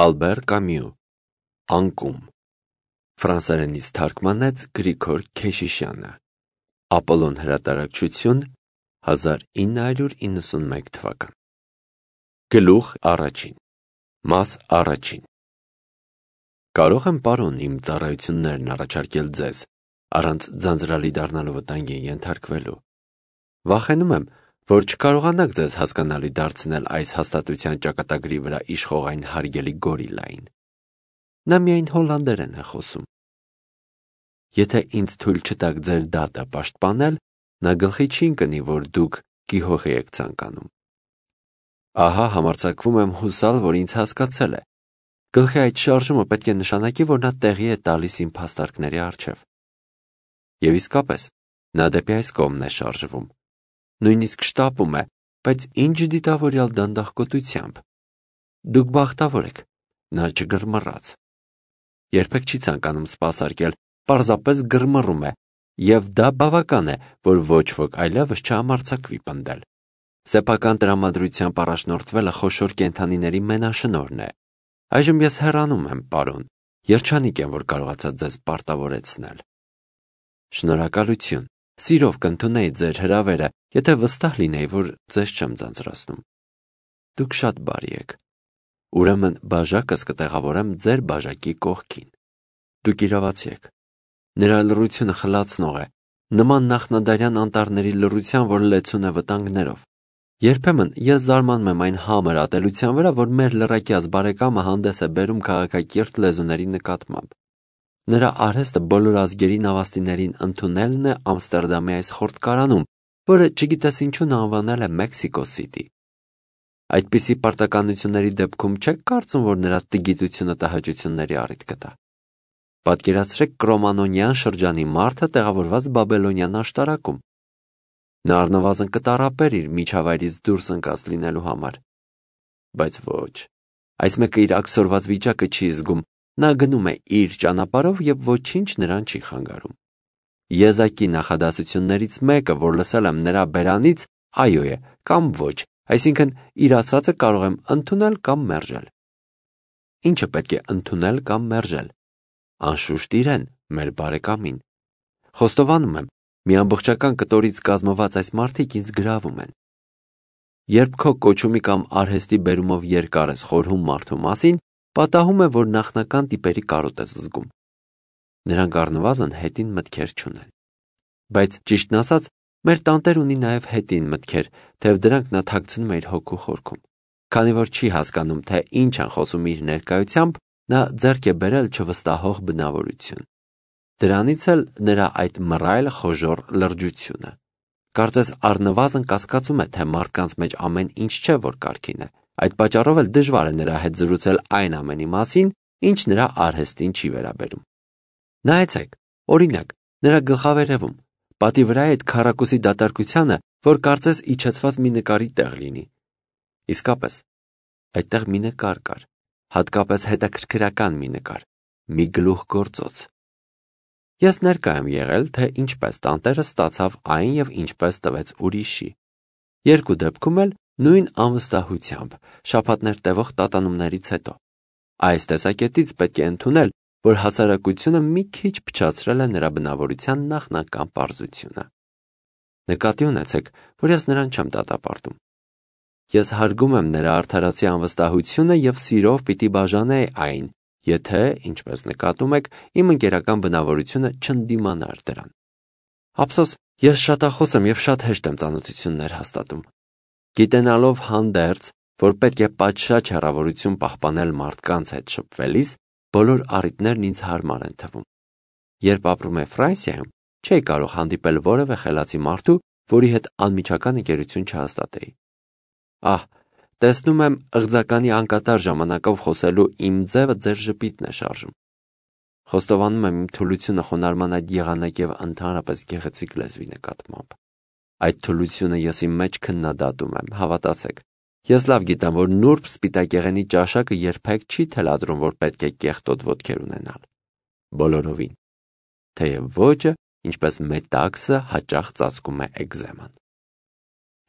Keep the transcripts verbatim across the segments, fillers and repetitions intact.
Ալբեր Կամյու, Անկում, ֆրանսերենից թարգմանեց Գրիգոր Քեշիշյանը, Ապոլոն հրատարակչություն, հազար ինը հարյուր իննսունմեկ թվական։ Գլուխ առաջին, մաս առաջին։ Կարող եմ, պարոն, իմ ծառայություններն առաջարկել ձեզ, առանց ձանձրալի դառնալու վտանգի ենթարկվելու։ Վախենում եմ, որ չկարողանաք ձեզ հասկանալի դարձնել այս հաստատության ճակատագրի վրա իշխող այն հարգելի գորիլային։ Նա միայն հոլանդերեն է խոսում։ Եթե ինձ թույլ չտաք ձեր դատը պաշտպանել, նա գլխի չի ընկնի, որ դուք գիհողի եք ցանկանում։ Ահա համարձակվում եմ հուսալ, որ ինձ հասկացել է։ Գլխի այդ շարժումը պետք է նշանակի, որ նա տեղի է տալիս իմ փաստարկների առջև։ Եվ իսկապես, նա դեպի այս կողմն է շարժվում։ Նույնիսկ շտապում է, բայց ինչ դիտավորյալ դանդաղկոտությամբ։ Դուք բախտավոր եք, նա չգռմռաց։ Երբեք չի ցանկանում սպասարկել, պարզապես գրմռում է, և դա բավական է, որ ոչ ոք այլևս չհամարձակվի պնդել։ Սեփական տրամադրությամբ առաջնորդվելը խոշոր կենդանիների մենաշնորհն է։ Այժմ ես հեռանում եմ, պարոն, երջանիկ եմ, որ կարողացա ձեզ պարտավորեցնել։ Շնորհակալություն, սիրով կընդունեի ձեր հրավերը, եթե վստահ լինեի, որ ձեզ չեմ ձանձրացնում։ Դուք շատ բարի եք։ Ուրեմն բաժակս կտեղավորեմ ձեր բաժակի կողքին։ Դուք իրավացի եք։ Նրա լռությունը խլացնող է, նման նախնադարյան անտառների լռության, որ լեցուն է վտանգներով։ Երբեմն ես զարմանում եմ այն համր ատելության վրա, որ մեր լռակյաց բարեկամը հանդես է բերում քաղաքակիրթ լեզուների նկատմամբ։ Նրա արհեստը բոլոր ազգերի նավաստիներին ընդունելն է Ամստերդամի այս խորտկարանում, որը չգիտես ինչու անվանել է Մեքսիկո Սիթի։ Այդպիսի պարտականությունների դեպքում չեք կարծում, որ նրա տգիտությունը տհաճությունների առիթ կտա։ Պատկերացրեք կրոմանոնյան շրջանի մարդը տեղավորված բաբելոնյան աշտարակում։ Նա առնվազն կտառապեր իր միջավայրից դուրս ընկած լինելու համար։ Բայց ոչ, այս մեկը իր աքսորված վիճակը չի զգում, նա գնում է իր ճանապարհով և ոչինչ նրան չի խանգարում։ Եզակի նախադասություններից մեկը, որ լսել եմ նրա բերանից, այո է կամ ոչ, այսինքն իր ասածը կարող եմ ընդունել կամ մերժել։ Ինչը պետք է ընդունել կամ մերժել։ Անշուշտ իրեն, մեր բարեկամին։ Խոստովանում եմ, մի ամբողջական կտորից կազմված այս մարդիկ ինձ գրավում են։ Երբ քո կոչումի կամ արհեստի բերումով երկար ես խորհում մարդու մասին, պատահում է, որ նախնական տիպերի կարոտ ես զգում։ Նրանք առնվազն հետին մտքեր չունեն։ Բայց ճիշտն ասած, մեր տանտեր ունի նաև հետին մտքեր, թեև դրանք նա թաքցնում է իր հոգու խորքում։ Քանի որ չի հասկանում, թե ինչ են խոսում իր ներկայությամբ, նա ձեռք է բերել չվստահող բնավորություն։ Դրանից էլ նրա այդ մռայլ խոժոռ լրջությունը։ Կարծես առնվազն կասկածում է, թե մարդկանց մեջ ամեն ինչ չէ, որ կարգին է։ Այդ պատճառով էլ դժվար է նրա հետ զրուցել այն ամենի մասին, ինչ նրա արհեստին չի վերաբերում։ Նայեցեք, օրինակ, նրա գլխավերևում, պատի վրա է այդ քառակուսի դատարկությանը, որ կարծես իջեցված մի նկարի տեղ լինի։ Իսկապես, այդտեղ մի նկար կար, հատկապես հետաքրքրական մի նկար, մի գլուխ գործոց։ Ես ներկա եմ եղել, թե ինչպես տանտերը ստացավ այն և ինչպես տվեց ուրիշի։ Երկու դեպքում էլ նույն անվստահությամբ, շաբաթներ տևող տատանումներից հետո։ Այս տեսակետից պետք է ընդունել, որ հասարակությունը մի քիչ փչացրել է նրա բնավորության նախնական պարզությունը։ Նկատի ունեցեք, որ ես նրան չեմ դատապարտում։ Ես հարգում եմ նրա արդարացի անվստահությունը և սիրով պիտի բաժանեի այն, եթե, ինչպես նկատում եք, իմ ընկերական բնավորությունը չընդդիմանար դրան։ Ափսոս, ես շատախոս եմ և շատ հեշտ եմ ծանոթություններ հաստատում։ Գիտենալով հանդերձ, որ պետք է պատշաճ հեռավորություն պահպանել մարդկանց հետ շփվելիս, բոլոր առիթներն ինձ հարմար են թվում։ Երբ ապրում եմ Ֆրանսիայում, չէի կարող հանդիպել որևէ խելացի մարդու, որի հետ անմիջական ընկերություն չհաստատեի։ Ահ, տեսնում եմ, ըղձականի անկատար ժամանակով խոսելու իմ ձևը ձեր ժպիտն է շարժում։ Խոստովանում եմ իմ թուլությունը խոնարհման այդ եղանակ և ընդհանրապես գեղեցիկ լեզվի նկատմամբ։ Այդ թուլությունը ես իմ մեջ քննադատում եմ, հավատացեք։ Ես լավ գիտեմ, որ նուրբ սպիտակեղենի ճաշակը երբեք չի թելադրում, որ պետք է կեղտոտ ոտքեր ունենալ։ Բոլորովին։ Թեև ոճը, ինչպես մետաքսը, հաճախ ծածկում է էկզեման։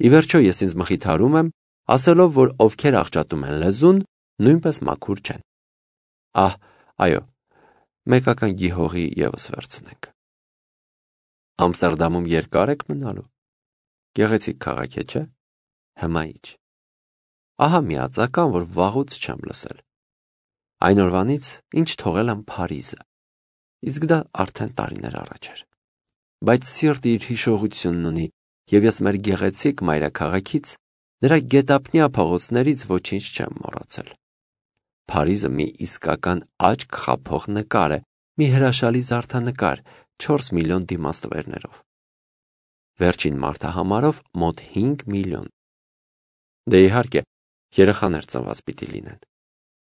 Ի վերջո ես ինձ մխիթարում եմ, ասելով, որ ովքեր աղճատում են լեզուն, նույնպես մաքուր չեն։ Ահ, այո, մեկական գիհողի ևս վերցնենք։ Ամստերդամում երկար եք մնալու։ Գեղեցիկ քաղաք է, չէ՞։ Հմայիչ։ Ահա մի ածական, որ վաղուց չեմ լսել։ Այն օրվանից, ինչ թողել եմ Փարիզը, իսկ դա արդեն տարիներ առաջ էր։ Բայց սիրտը իր հիշողությունն ունի, և ես մեր գեղեցիկ մայրաքաղաքից, նրա գետափնյա փողոցներից ոչինչ չեմ մոռացել։ Փարիզը մի իսկական աչք խաբող նկար է, մի հրաշալի զարդանկար, չորս միլիոն դիմաստվերներով։ Վերջին մարդահամարով մոտ հինգ միլիոն։ Դե իհարկե, երեխաներ ծնված պիտի լինեն։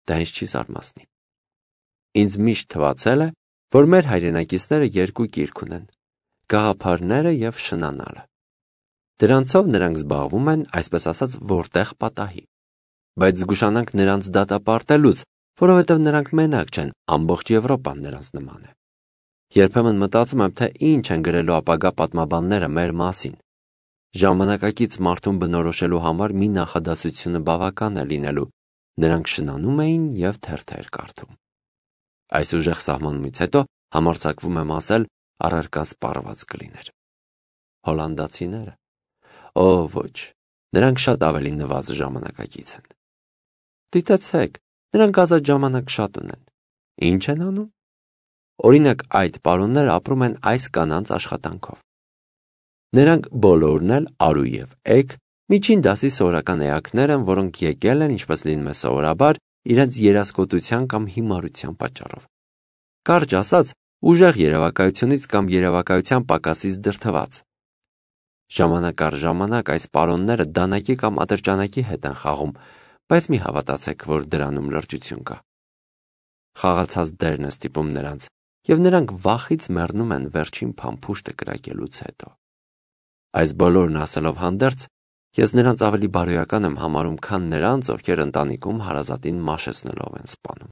Դա ինձ չի զարմացնի։ Ինձ միշտ թվացել է, որ մեր հայրենակիցները երկու կիրք ունեն՝ գաղափարները և շնանալը։ Դրանցով նրանք զբաղվում են, այսպես ասած, որտեղ պատահի։ Բայց զգուշանանք նրանց դատապարտելուց, որովհետև նրանք մենակ չեն, ամբողջ Եվրոպան նրանց նման է։ Երբեմն մտածում եմ, թե ինչ են գրելու ապագա պատմաբանները մեր մասին։ Ժամանակակից մարդուն բնորոշելու համար մի նախադասությունը բավական է լինելու. նրանք շնանում էին և թերթեր կարդում։ Այս ուժեղ սահմանումից հետո համարձակվում եմ ասել, առարկան սպառված կլիներ։ Հոլանդացիները։ Օ, ոչ, նրանք շատ ավելի նվազ ժամանակակից են։ Դիտեցեք, նրանք ազատ ժամանակ շատ ունեն։ Ինչ են անում։ Օրինակ, այդ պարոնները ապրում են այս կանանց աշխատանքով։ Նրանք բոլորն էլ արու և էգ, միջին դասի սովորական էակներ են, որոնք եկել են, ինչպես լինում է սովորաբար, իրենց երասկոտության կամ հիմարության պատճառով։ Կարճ ասած, ուժեղ երևակայությունից կամ երևակայության պակասից դրդված։ Ժամանակ առ ժամանակ այս պարոնները դանակի կամ ատրճանակի հետ են խաղում, բայց մի հավատացեք, որ դրանում լրջություն կա։ Խաղացած դերն է ստիպում նրանց, և նրանք վախից մեռնում են վերջին փամփուշտը կրակելուց հետո։ Այս բոլորն ասելով հանդերձ, ես նրանց ավելի բարոյական եմ համարում, քան նրանց, ովքեր ընտանիքում հարազատին մաշեցնելով են սպանում։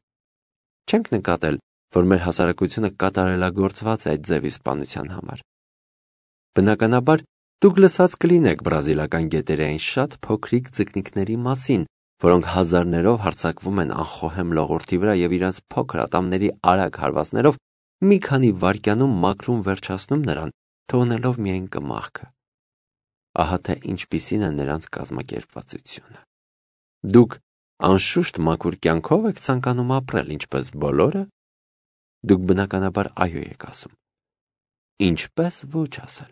Չենք նկատել, որ մեր հասարակությունը կատարելագործված է այդ ձևի սպանության համար։ Բնականաբար, դուք լսած կլինեք բրազիլական գետերային շատ փոքրիկ ձկնիկների մասին, որոնք հազարներով հարձակվում են անխոհեմ լողորդի վրա և իրենց փոքր ատամների արագ հարվածներով մի քանի վայրկյանում մաքրում վերջացնում նրան, թողնելով միայն կմախքը։ Ահա թե ինչպիսին է նրանց կազմակերպվածությունը։ Դուք անշուշտ մաքուր կյանքով եք ցանկանում ապրել, ինչպես բոլորը։ Դուք բնականաբար այո եք ասում։ Ինչպես ոչ ասել։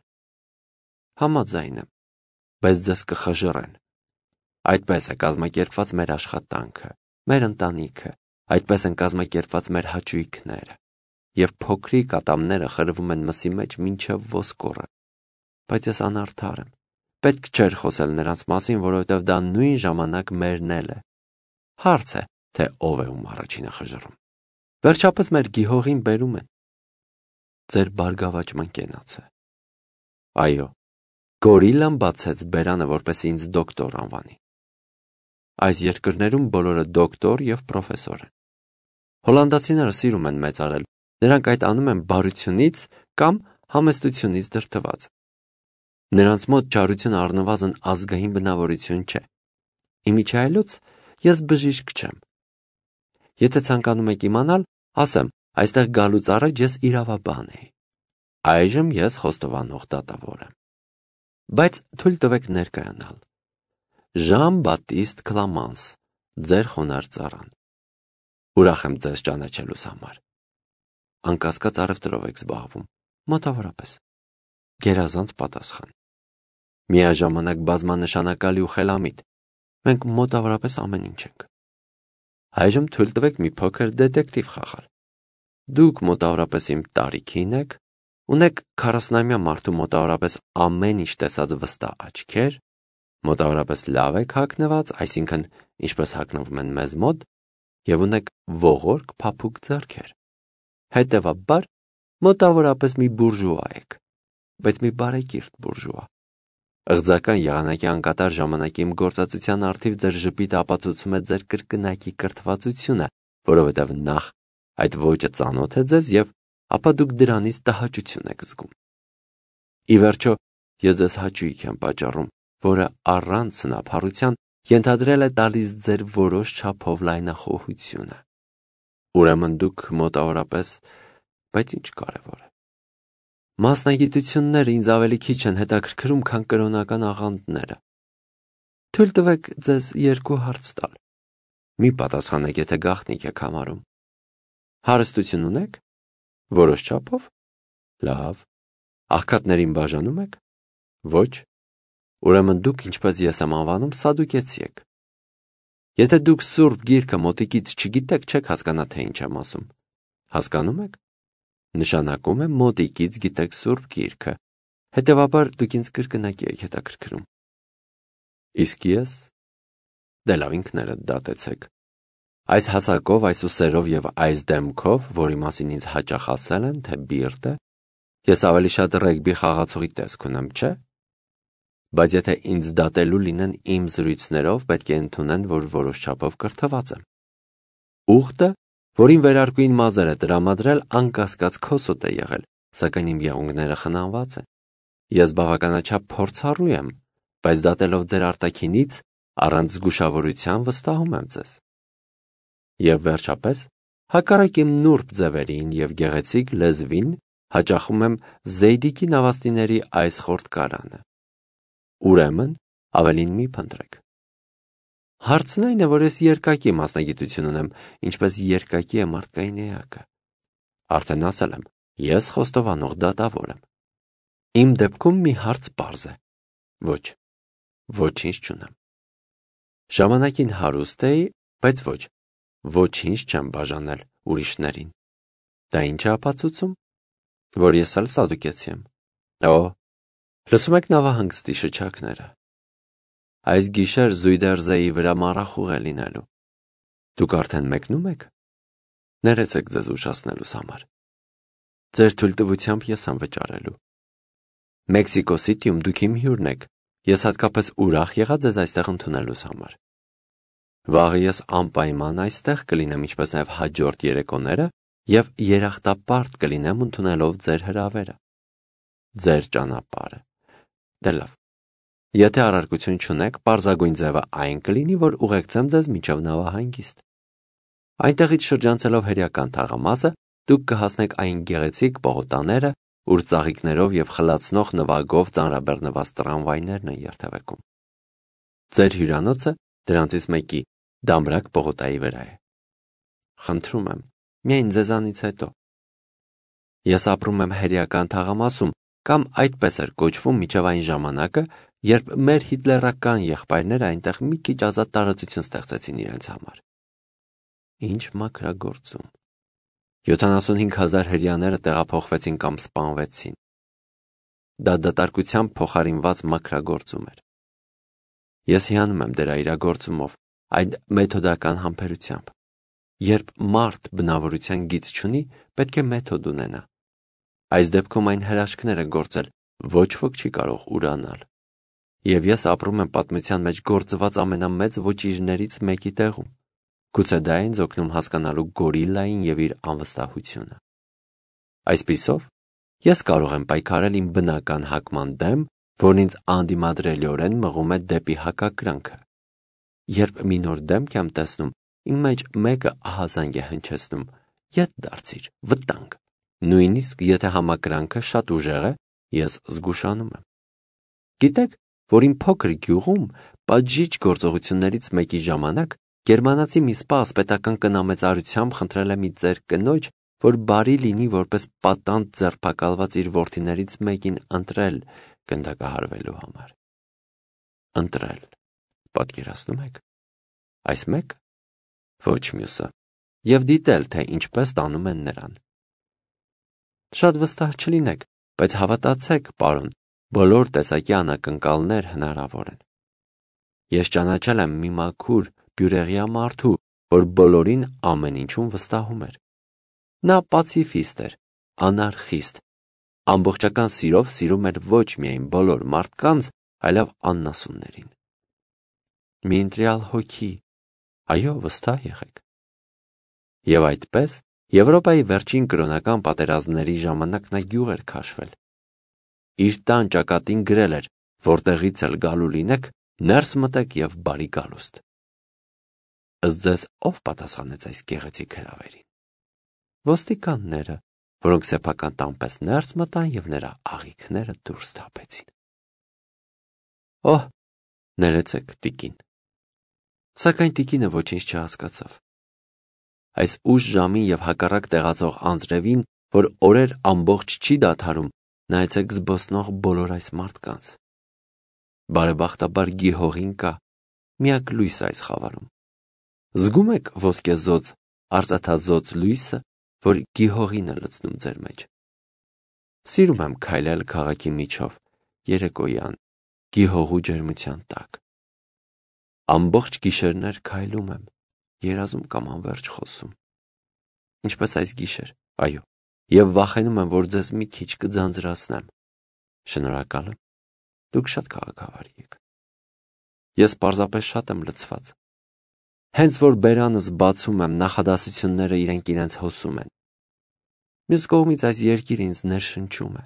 Համաձայն եմ, բայց ձեզ կխժռեն։ Այդպես է կազմակերպված մեր աշխատանքը, մեր ընտանիքը, այդպես են կազմակերպված մեր հաճույքները, և փոքրիկ ատամները խրվում են մսի մեջ մինչև ոսկորը։ Բայց ես անարդար եմ։ Պետք չէր խոսել նրանց մասին, որովհետև դա նույն ժամանակ մերն էլ է։ Հարց է, թե ով է ում առաջինը խժռում։ Վերջապես մեր գիհողին բերում են։ Ձեր բարգավաճման կենաց է։ Այո, գորիլան բացեց բերանը, որպեսզի ինձ դոկտոր անվանի։ Այս երկրներում բոլորը դոկտոր և պրոֆեսոր են։ Հոլանդացիները սիրում են մեծարել, նրանք այդ անում են բարությունից կամ համեստությունից դրդված։ Նրանց մոտ չարությունը առնվազն ազգային բնավորություն չէ։ Իմիջիայլոց ես բժիշկ չեմ։ Եթե ցանկանում եք իմանալ, ասեմ, այստեղ գալուց առաջ ես իրավաբան էի։ Այժմ ես խոստովանող դատավոր եմ։ Բայց թույլ տվեք ներկայանալ։ Ժան-Բատիստ Կլամանս, ձեր խոնարհ ծառան։ Ուրախ եմ ձեզ ճանաչելուս համար։ Անկասկած առևտրով եք զբաղվում, մոտավորապես։ Գերազանց պատասխան։ Միաժամանակ բազմանշանակալի ու խելամիտ։ Մենք մոտավորապես ամեն ինչ ենք։ Այժմ թույլ տվեք մի փոքր դետեկտիվ խաղալ։ Դուք մոտավորապես իմ տարիքին եք, ունեք քառասնամյա մարդու մոտավորապես ամեն ինչ տեսած վստահ աչքեր, մոտավորապես լավ եք հագնված, այսինքն ինչպես հագնվում են մեզ մոտ, և ունեք ողորկ փափուկ ձեռքեր։ Հետևաբար, մոտավորապես մի բուրժուա եք, բայց մի բարեկիրթ բուրժուա։ Ըղձական եղանակի անկատար ժամանակի իմ գործածության առթիվ ձեր ժպիտը ապացուցում է ձեր կրկնակի կրթվածությունը, որովհետև նախ այդ ոճը ծանոթ է ձեզ և ապա դուք դրանից տհաճություն եք զգում։ Ի վերջո, ես ձեզ հաճույք եմ պատճառում, որը առանց սնափառության ենթադրել է տալիս ձեր որոշ չափով լայնախոհությունը։ Ուրեմն դուք մոտավորապես, բայց ինչ կարևոր է։ Մասնագիտությունները ինձ ավելի քիչ են հետաքրքրում, քան կրոնական աղանդները։ Թույլ տվեք ձեզ երկու հարց տալ։ Մի պատասխանեք, եթե գաղտնիք եք համարում։ Հարստություն ունեք։ Որոշ չափով։ Լավ։ Աղքատներին բաժանում եք։ Ոչ։ Ուրեմն դուք, ինչպես ես եմ անվանում, սադուկեցի եք։ Եթե դուք Սուրբ Գիրքը մոտիկից չգիտեք, չեք հասկանա, թե ինչ եմ ասում։ Հասկանում եք։ Նշանակում է մոտիկից գիտեք Սուրբ Գիրքը, հետևաբար դուք ինձ կրկնակի եք հետաքրքրում։ Իսկ ես։ Դե լավ, ինքներդ դատեցեք։ Այս հասակով, այս ուսերով եւ այս դեմքով, որի մասին ինձ հաճախ ասել են, թե բիրտ է, ես ավելի շատ ռեգբի խաղացողի տեսք ունեմ, չէ՞։ Բայց եթե ինձ դատելու լինեն իմ զրույցներով, պետք է ընդունեն, որ որոշ չափով կրթված եմ։ Ուխտը, որին վերարկուին մազերը տրամադրել, անկասկած քոսոտ է եղել, սակայն իմ եղունգները խնամված են։ Ես բավականաչափ փորձառու եմ, բայց դատելով ձեր արտաքինից, առանց զգուշավորության վստահում եմ ձեզ։ Եվ վերջապես, հակառակ իմ նուրբ ձևերին եւ գեղեցիկ լեզվին, հաճախում եմ Զեյդիկի նավաստիների այս խորտկարանը։ Ուրեմն, ավելին մի փնտրեք։ Հարցն այն է, որ ես երկակի մասնագիտություն ունեմ, ինչպես երկակի է մարդկային էակը։ Արդեն ասել եմ, ես խոստովանող դատավոր եմ։ Իմ դեպքում մի հարց պարզ է։ Ոչ, ոչինչ չունեմ։ Ժամանակին հարուստ էի, բայց ոչ, ոչինչ չեմ բաժանել ուրիշներին։ Դա ինչ է ապացուցում, որ ես էլ սադուկեցի եմ։ Օ, լսում եք նավահանգստի շչակները։ Այս գիշեր Զույդերզեի վրա մառախուղ է լինելու։ Դուք արդեն մեկնում եք։ Ներեցեք ձեզ ուշացնելուս համար։ Ձեր թույլտվությամբ ես եմ վճարելու։ Մեքսիկո Սիթիում դուք իմ հյուրն եք։ Ես հատկապես ուրախ եղա ձեզ այստեղ ընդունելուս համար։ Վաղը ես անպայման այստեղ կլինեմ, ինչպես նաև հաջորդ երեկոները, եւ երախտապարտ կլինեմ ընդունելով ձեր հրավերը։ Ձեր ճանապարհը։ Դե լավ։ Եթե առարկություն չունեք, պարզագույն ձևը այն կլինի, որ ուղեկցեմ ձեզ մինչև նավահանգիստ։ Այնտեղից շրջանցելով հերյական թաղամասը, դուք կհասնեք այն գեղեցիկ պողոտաները, ուր ծաղիկներով եւ խլացնող նվագով ծանրաբեռնված տրամվայներն են երթևեկում։ Ձեր հյուրանոցը դրանցից մեկի դամրակ պողոտայի վրա է։ Խնդրում եմ, միայն ձեզանից հետո։ Ես ապրում եմ հերյական թաղամասում, կամ այդպես էր կոչվում մինչև այն ժամանակը, երբ մեր հիտլերական եղբայրները այնտեղ մի քիչ ազատ տարածություն ստեղծեցին իրենց համար։ Ինչ մաքրագործում։ յոթանասունհինգ հազար հրեաները տեղափոխվեցին կամ սպանվեցին։ Դա դատարկությամբ փոխարինված մաքրագործում էր։ Ես հիանում եմ դրա իրագործումով, այդ մեթոդական համբերությամբ։ Երբ մարդ բնավորության գիծ չունի, պետք է մեթոդ ունենա։ Այս դեպքում այն հրաշքներ է գործել, ոչ ոք չի կարող ուրանալ։ Եվ ես ապրում եմ պատմության մեջ գործված ամենամեծ ոճիրներից մեկի տեղում։ Գուցե դա ինձ օգնում հասկանալու գորիլային եւ իր անվստահությունը։ Այսպիսով, ես կարող եմ պայքարել իմ բնական հակման դեմ, որն ինձ անդիմադրելիորեն մղում է դեպի հակակրանքը։ Երբ մի նոր դեմք եմ տեսնում, իմ մեջ մեկը ահազանգ է հնչեցնում. ետ դարձիր, վտանգ։ Նույնիսկ եթե համակրանքը շատ ուժեղ է, ես զգուշանում եմ։ Գիտեք, որ իմ փոքր գյուղում պատժիչ գործողություններից մեկի ժամանակ գերմանացի մի սպա ասպետական կնամեծարությամբ խնդրել է մի ծեր կնոջ, որ բարի լինի որպես պատանդ ձերբակալված իր որդիներից մեկին ընտրել գնդակահարվելու համար։ Ընտրել, պատկերացնում եք։ Այս մեկը, ոչ մյուսը, եւ դիտել, թե ինչպես տանում են նրան։ Շատ վստահ չլինեք, բայց հավատացեք, պարոն, բոլոր տեսակի անակնկալներ հնարավոր են։ Ես ճանաչել եմ մի մաքուր բյուրեղյա մարդու, որ բոլորին ամեն ինչում վստահում էր։ Նա պացիֆիստ էր, անարխիստ, ամբողջական սիրով սիրում էր ոչ միայն բոլոր մարդկանց, այլև աննասուններին։ Մի ընտրյալ հոգի, այո, վստահ եղեք։ Եվ այդպես, Եվրոպայի վերջին կրոնական պատերազմների ժամանակ նա գյուղ էր քաշվել։ Իր տան ճակատին գրել էր, որտեղից էլ գալու լինեք, ներս մտեք եւ բարի գալուստ։ Ըստ ձեզ ով պատասխանեց այս գեղեցիկ հրավերին։ ոստիկանները, որոնք սեփական տան պես ներս մտան և նրա աղիքները դուրս թափեցին։ Օհ, ներեցեք, տիկին։ Սակայն տիկինը ոչինչ չհասկացավ։ Այս ուշ ժամին և հակառակ տեղացող անձրևին, որ օրեր ամբողջ չի դադարում, նայեցեք զբոսնող բոլոր այս մարդկանց։ Բարեբախտաբար գիհողին կա, միակ լույս այս խավարում։ Զգում եք ոսկեզօծ, արծաթազօծ լույսը, որ գիհողին է լցնում ձեր մեջ։ Սիրում եմ քայլել քաղաքի միջով, երեկոյան, գիհողու ջերմության տակ։ Ամբողջ գիշերներ քայլում եմ, երազում կամ անվերջ խոսում։ Ինչպես այս գիշեր, այո, և վախենում եմ, որ ձեզ մի քիչ կձանձրացնեմ։ Շնորհակալ եմ, դուք շատ քաղաքավարի եք։ Ես պարզապես շատ եմ լցված։ Հենց որ բերանս բացում եմ, նախադասությունները իրենք իրենց հոսում են։ Մյուս կողմից այս երկիրը ինձ ներշնչում է։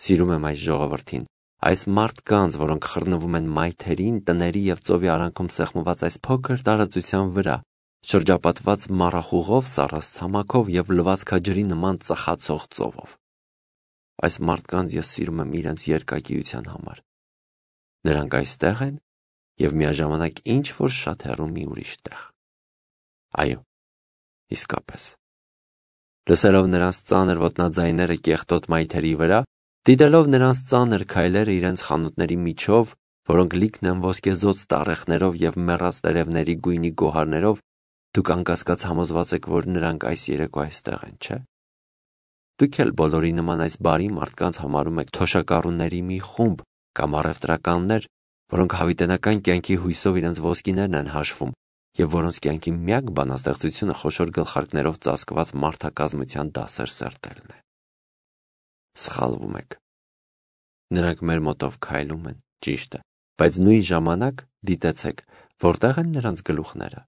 Սիրում եմ այս ժողովրդին, այս մարդկանց, որոնք խռնվում են մայթերին, տների և ծովի արանքում սեղմված այս փոքր տարածության վրա, շրջապատված մառախուղով, սառած-ցամաքով և լվացքաջրի նման ծխացող ծովով։ Այս մարդկանց ես սիրում եմ իրենց երկակիության համար։ Նրանք այստեղ են և միաժամանակ ինչ-որ շատ հեռու մի ուրիշ տեղ։ Այո, իսկապես։ Լսելով նրանց ծանր ոտնաձայները կեղտոտ մայթերի վրա, դիտելով նրանց ծանր քայլերը իրենց խանութների միջով, որոնք լիքն են ոսկեզօծ տառեխներով և մեռած տերևների գույնի գոհարներով, դուք անկասկած համոզված եք, որ նրանք այս երեկո այստեղ են, չէ՞։ Դուք էլ բոլորի նման այս բարի մարդկանց համարում եք թոշակառուների մի խումբ կամ առևտրականներ, որոնք հավիտենական կյանքի հույսով իրենց ոսկիներն են հաշվում և որոնց կյանքի միակ բանաստեղծությունը խոշոր գլխարկներով ծածկված մարդակազմության դասեր սերտելն է։ Սխալվում եք։ Նրանք մեր մոտով քայլում են, ճիշտ է, բայց նույն ժամանակ դիտեցեք, որտեղ են նրանց գլուխները։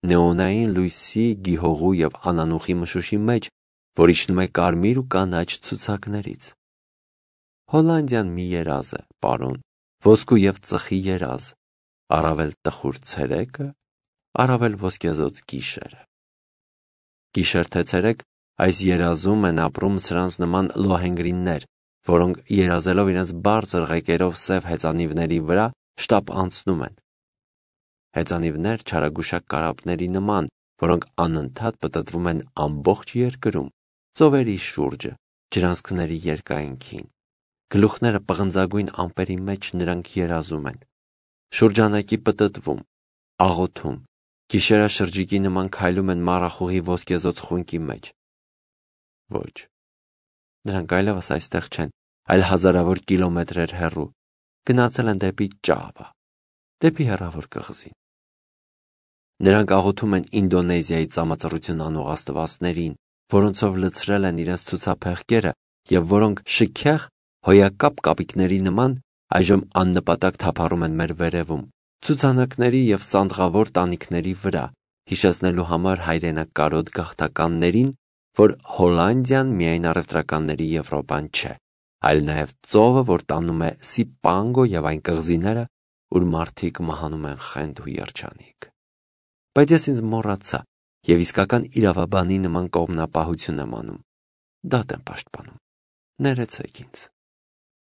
Նեոնային լույսի, գիհողու և անանուխի մշուշի մեջ, որ իջնում է կարմիր ու կանաչ ցուցակներից։ Հոլանդիան մի երազ է, պարոն, ոսկու և ծխի երազ, առավել տխուր ցերեկը, առավել ոսկեզօծ գիշերը։ Գիշեր թե ցերեկ այս երազում են ապրում սրանց նման լոհենգրիններ, որոնք երազելով իրենց բարձր ղեկերով սև հեծանիվների վրա շտապ անցնում են։ Հեծանիվներ չարագուշակ կարապների նման, որոնք անընդհատ պտտվում են ամբողջ երկրում, ծովերի շուրջը, ջրանցքների երկայնքին։ Գլուխները պղնձագույն ամպերի մեջ նրանք երազում են։ Շուրջանակի պտտվում, աղոթում, գիշերաշրջիկի նման քայլում են մառախուղի ոսկեզօծ խունկի մեջ։ Ոչ, նրանք այլևս այստեղ չեն, այլ հազարավոր կիլոմետրեր հեռու, գնացել են դեպի Ճավա, դեպի հեռավոր կղզին։ Նրանք աղոթում են Ինդոնեզիայի ծամածռություն անող աստվածներին, որոնցով լցրել են իրենց ցուցափեղկերը և որոնք շքեղ հոյակապ կապիկների նման այժմ աննպատակ թափառում են մեր վերևում, ցուցանակների և սանդղավոր տանիքների վրա, հիշեցնելու համար հայրենակարոտ գաղթականներին, որ Հոլանդիան միայն առևտրականների Եվրոպան չէ, այլ նաև ծովը, որ տանում է Սիպանգո և այն կղզիները, ուր մարդիկ մահանում են խենթ ու երջանիկ։ Բայց ես ինձ մոռացա և իսկական իրավաբանի նման կողմնապահություն եմ անում, դատ եմ պաշտպանում, ներեցեք ինձ։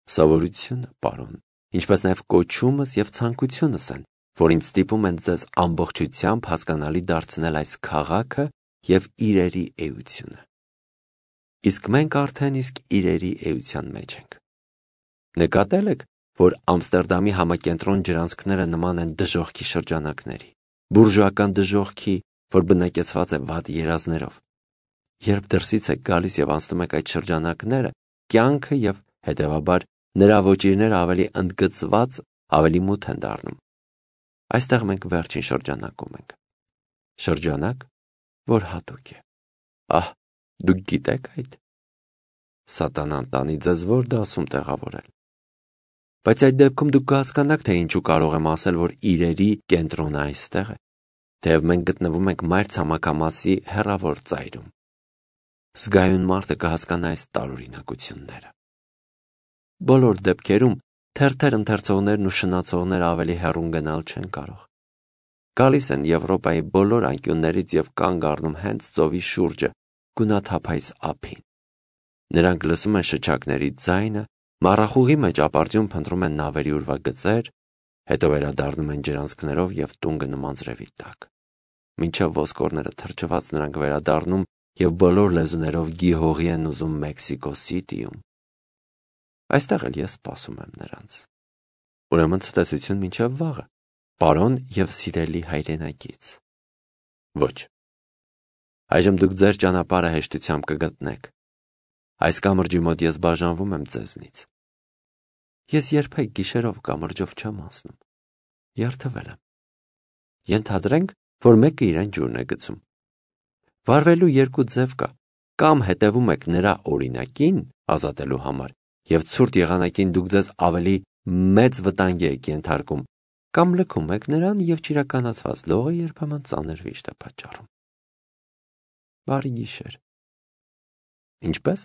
Սովորությունը, պարոն, ինչպես նաև կոչումս և ցանկությունս են, որ ինձ ստիպում են ձեզ ամբողջությամբ հասկանալի դարձնել այս քաղաքը և իրերի էությունը։ Իսկ մենք արդեն իսկ իրերի էության մեջ ենք։ Նկատել եք, որ Ամստերդամի համակենտրոն ջրանցքները նման են դժոխքի շրջանակների, բուրժուական դժոխքի, որ բնակեցված է վատ երազներով։ Երբ դրսից եք գալիս և անցնում եք այդ շրջանակները, կյանքը և, հետևաբար, նրա ոճիրները ավելի ընդգծված, ավելի մութ են դառնում։ Այստեղ մենք վերջին շրջանակում ենք։ Շրջանակ, որ հատուկ է։ Ահ, դուք գիտեք այդ։ Սատանան տանի ձեզ որ դասում տեղավորել։ Բայց այդ դեպքում դուք կհասկանաք, թե ինչու կարող եմ ասել, որ իրերի կենտրոնը այստեղ է, թեև մենք գտնվում ենք մայրցամաքամասի հեռավոր ծայրում։ Զգայուն մարդը կհասկանա այս տարօրինակությունները։ Բոլոր դեպքերում թերթեր ընթերցողներն ու շնացողները ավելի հեռուն գնալ չեն կարող։ գալիս են Եվրոպայի բոլոր անկյուններից և կանգ առնում հենց ծովի շուրջը, գունաթափայց ափին։ Նրանք լսում են շչակների ձայնը, մառախուղի մեջ ապարդյուն փնտրում են նավերի ուրվագծեր, հետո վերադառնում են ջրանցքներով և տուն գնում անձրևի տակ։ Մինչև ոսկորները թրջված նրանք վերադառնում և բոլոր լեզուներով գիհողի են ուզում Մեքսիկո Սիթիում։ Այստեղ էլ ես սպասում եմ նրանց։ Ուրեմն ցտեսություն մինչև վաղը, պարոն և սիրելի հայրենակից։ Ոչ։ Այժմ դուք ձեր ճանապարհը հեշտությամբ կգտնեք։ Այս կամրջի մոտ ես բաժանվում եմ ձեզնից։ Ես երբեք գիշերով կամրջով չեմ անցնում։ Երդվել եմ։ Ենթադրենք, որ մեկը իրեն ջուրն է գցում։ Վարվելու երկու ձև կա, կամ հետևում եք նրա օրինակին ազատելու համար, և ցուրտ եղանակին դուք ձեզ ավելի մեծ վտանգի եք ենթարկում, կամ լքում եք նրան և չիրականացված լողը երբեմն ծանր վիշտ է պատճառում։ Բարի գիշեր։ Ինչպե՞ս։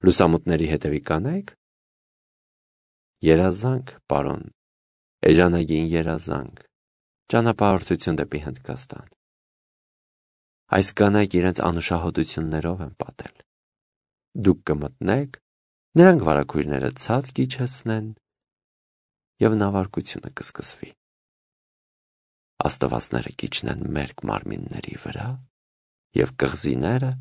Լուսամուտների հետևի կանայք։ Երազանք, պարոն, էժանագին երազանք, ճանապարհորդություն դեպի Հնդկաստան։ Այս կանայք իրենց անուշահոտություններով են պատել։ Դուք կմտնեք, նրանք վարագույրները ցած կիջեցնեն, և նավարկությունը կսկսվի։ Աստվածները կիջնեն մերկ մարմինների վրա, և կղզիները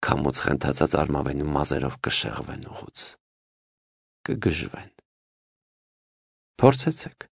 քամուց խենթացած արմավենու մազերով կշեղվեն ուղուց, կգժվեն։ Փորձեցեք։